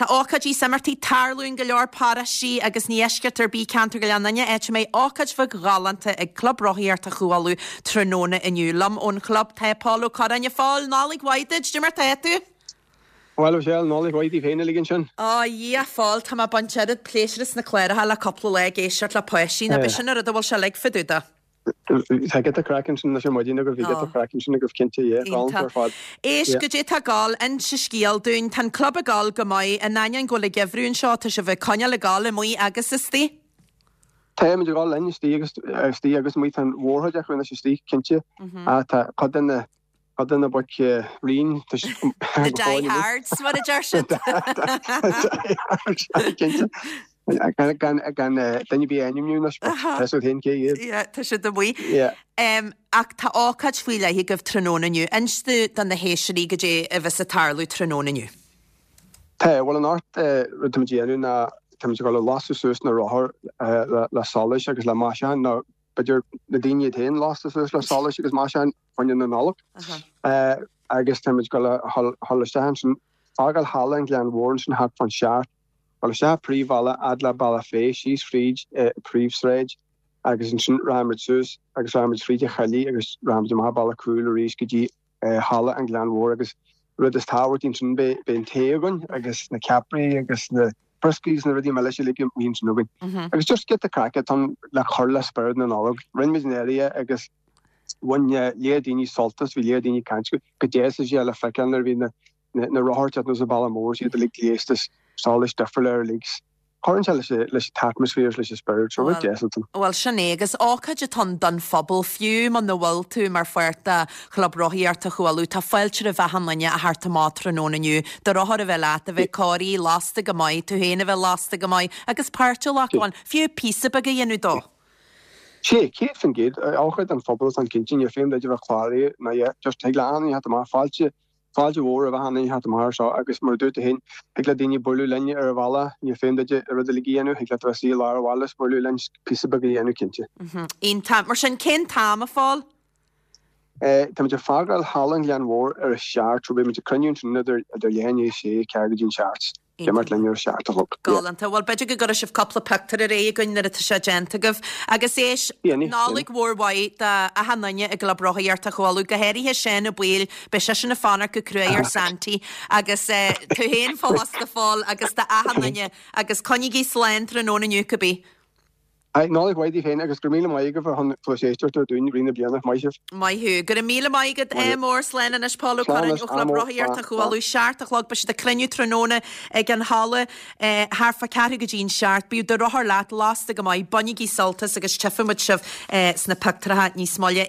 Tá ócáidí is imeachtaí ag tarlú in go leor paróistí agus ní eisceacht ar bith ceantar Ghleann Fhinne, áit a mbeidh ócáid bheag ghalánta ag Club Rothaíochta Chú Uladh tráthnóna inniu. Liom ón chlub tá Pól Ó Corráin. A Phóil, Nollaig mhaith duit, cad é mar tá tú? Bhuel, a Mhichelle, Nollaig mhaith daoibh féin uilig ansin. Ó, a Dhia, a Phóil, tá mé ag baint oiread pléisiúr as na cláracha le cúpla lá ag éisteacht le páistí, nó b'é sin an rud a bhfuil sé uilig fá dtaobh de. Tá giota craic ansin anois ar maidin agaibh, bhí giota craic ansin agaibh cinnte, yeah, galánta ar fad. Éist, goidé tá ag gabháil, inse scéal dúinn, tá an club ag gabháil go maith, in ainneoin go bhfuil an geimhreadh anseo, tá sibh ag coinneáil ag gabháil amuigh agus istigh. Táimid ag gabháil linn istigh agus istigh agus amuigh, tá an mhórchuid acu anois istigh, cinnte, ach tá cuid de na cuid de na boic righin, tá siad go fóill amuigh. The die-hards, mar a deir siad. The die-hards, cinnte. Gan duine ar bith a ainmniú anois, but tá fhios agat féin cé hiad. Yeah, tá siad amuigh. Yeah. Ach tá ócáid faoi leith agaibh tráthnóna inniu. Inis do na héisteoirí goidé a bheas ag tarlú tráthnóna inniu. Tá, bhuel anocht rud táimid a dhéanamh ná táimid ag dul a lasadh suas na rothair le solais agus le maisiúcháin nó b'fhéidir na daoine iad féin lasta suas le solais agus maisiúcháin fá choinne na Nollag. Agus táimid ag dul a dhul isteach ansin, fágáil Halla an Ghleann Mhóir ansin thart fán seacht, dul isteach an príomhbhealach fhad le Bealach Féich, síos fríd an príomhshráid agus ansin rachaimid suas agus rachaimid fríd an Choillidh agus rachaimid amach an bealach cúil arís go dtí Halla an Ghleann Mhóir agus rud is tábhachtaí ansin beidh an tae againn agus na ceapairí agus na brioscaí agus na rudaí milis uilig amuigh ansin againn. Agus just giota craic atá ann le cur le spiorad na Nollag. Rinne muid in áirithe agus bhain léar daoine sult as, bhí léar daoine ag caint go deas is é le feiceáil nuair a bhí na na rothair ag teacht anuas an bealach mór is iad uilig gléasta is solais difriúla ar uilig. Cuireann sé leis leis an t-atmaisféar is leis an spiorad, so rud deas atá ann. Bhuel, sin é, agus ócáid atá ann don phobal, fiú muna bhfuil tú mar pháirt de Chlub Rothaíochta Chú Uladh, tá fáilte roimh achan duine a theacht amach tráthnóna inniu, do rothar a bheith leat, a bheith cóirithe, lasta go maith, tú féin a bheith lasta go maith, agus páirt a ghlacadh ann, fiú píosa beag a dhéanamh dó. Sea, 100%, ócáid don phobal atá ann cinnte, ní féim duit a bheith cláraithe ná yeah, just thig le achan duine theacht amach, fáilte Fáilte mhór roimh achan duine theacht amach air seo agus mar a dúirt tú féin, thig le daoine bualadh linn ar an bhealach, ní féim duit an rud uilig a dhéanamh, thig leat a bheith suí i lár an bhaile is bualadh linn píosa beag a dhéanamh cinnte. Iontach. Mar sin, cén t-am, a Phóil? Táimid ag fágáil Halla an Ghleann Mhóir ar a seacht, so beidh muid ag cruinniú ansin idir leath i ndiaidh a sé, ceathrú go dtí an seacht. Imeacht linn ar a seacht a chlog. Galánta. Bhuel, b'fhéidir go gcuirfidh sibh cúpla pictiúr ar aghaidh againn nuair atá sé déanta agaibh. Agus éist, Nollaig mhór mhaith do achan duine i gClub Rothaíochta Chú Uladh, go háirithe Seán Ó Baoill, beidh seisean ag fanacht go cruaidh ar Santy, agus tú féin fosta, a Phóil, agus do achan duine. Agus coinnígí slán tráthnóna inniu, cibé. Aye, Nollaig mhaith daoibh féin agus go raibh míle maith agaibh ar shon cluas éisteachta dúinn i rith na bliana. Maith sibh. Maith thú. Go raibh míle maith agat. Ádh mór. Slán anois Pól Ó Curráin ó Chlub Rothaíochta Chú Uladh. Seacht a chlog beidh siad ag cruinniú tráthnóna ag an halla thart fá ceathrú go dtí an seacht. Bíodh do rothar leat, lasta go maith, bainigí sult as agus tchífidh muid sibh sna pictiúracha níos moille.